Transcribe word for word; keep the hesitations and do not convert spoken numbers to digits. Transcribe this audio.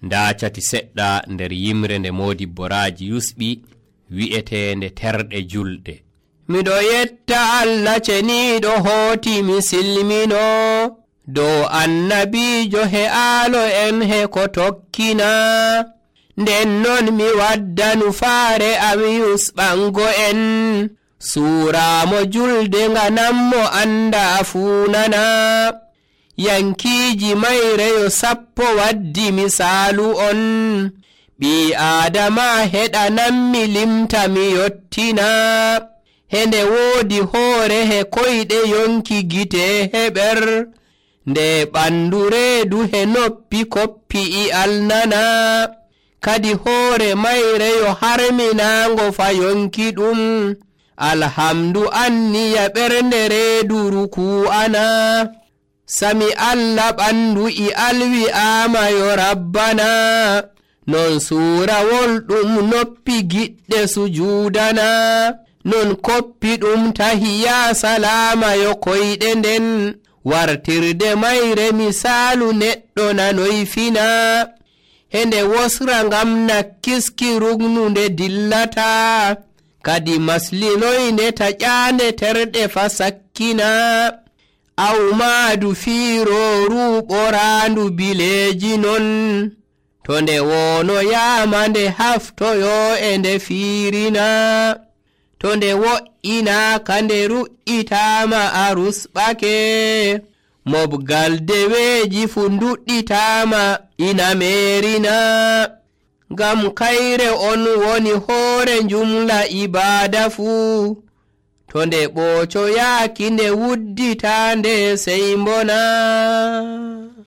nda cati seɗɗa nder yimre nde Modibboraji yusɓi wi'etende terɗe julɗe. Miɗo yetta Allah ceniɗo hooti mi silmino dow annabijo he aalo en he ko tokkina. Nden non mi wadda nufaare am yusɓango en suuramo julde nganammo anda fuunana. Yankiiji mayreyo sappo waddi misaalu on, ɓii aadama heɗanammi limta mi yottina. Hende woodi hoore he koyɗe yonki gite heɓer, nde ɓandu reedu he noppi koppi i alnana. Kadi hoore mayreyo harminango fa yonki ɗum, alhamdu anniya ɓernde reedu ruku ana. Sami Allah ɓandu i alwi amayo rabbana, non suurawol ɗum noppi giɗɗe sujuudana. Non koppi ɗum tahiya salamayo koyɗe nden, wartirde mayre misaalu neɗɗo nanoy fina. Hende wosra ngam nakkiski rugnunde dillata, kadi maslinoyne taƴaande terɗe fa sakkina. Awmaadu fiirooru ɓoraandu bileeji non, to nde wonoyaama nde haftoyo e nde fiirina. To nde wo'inaaka nde ru'itaama a rusɓake, mobgal deweeji fu nduɗɗitaama ina meerina. Ngam kayre on woni hoore njumla ibaada fuu, to nde ɓoocoyaaki nde wuddita nde sey mbona.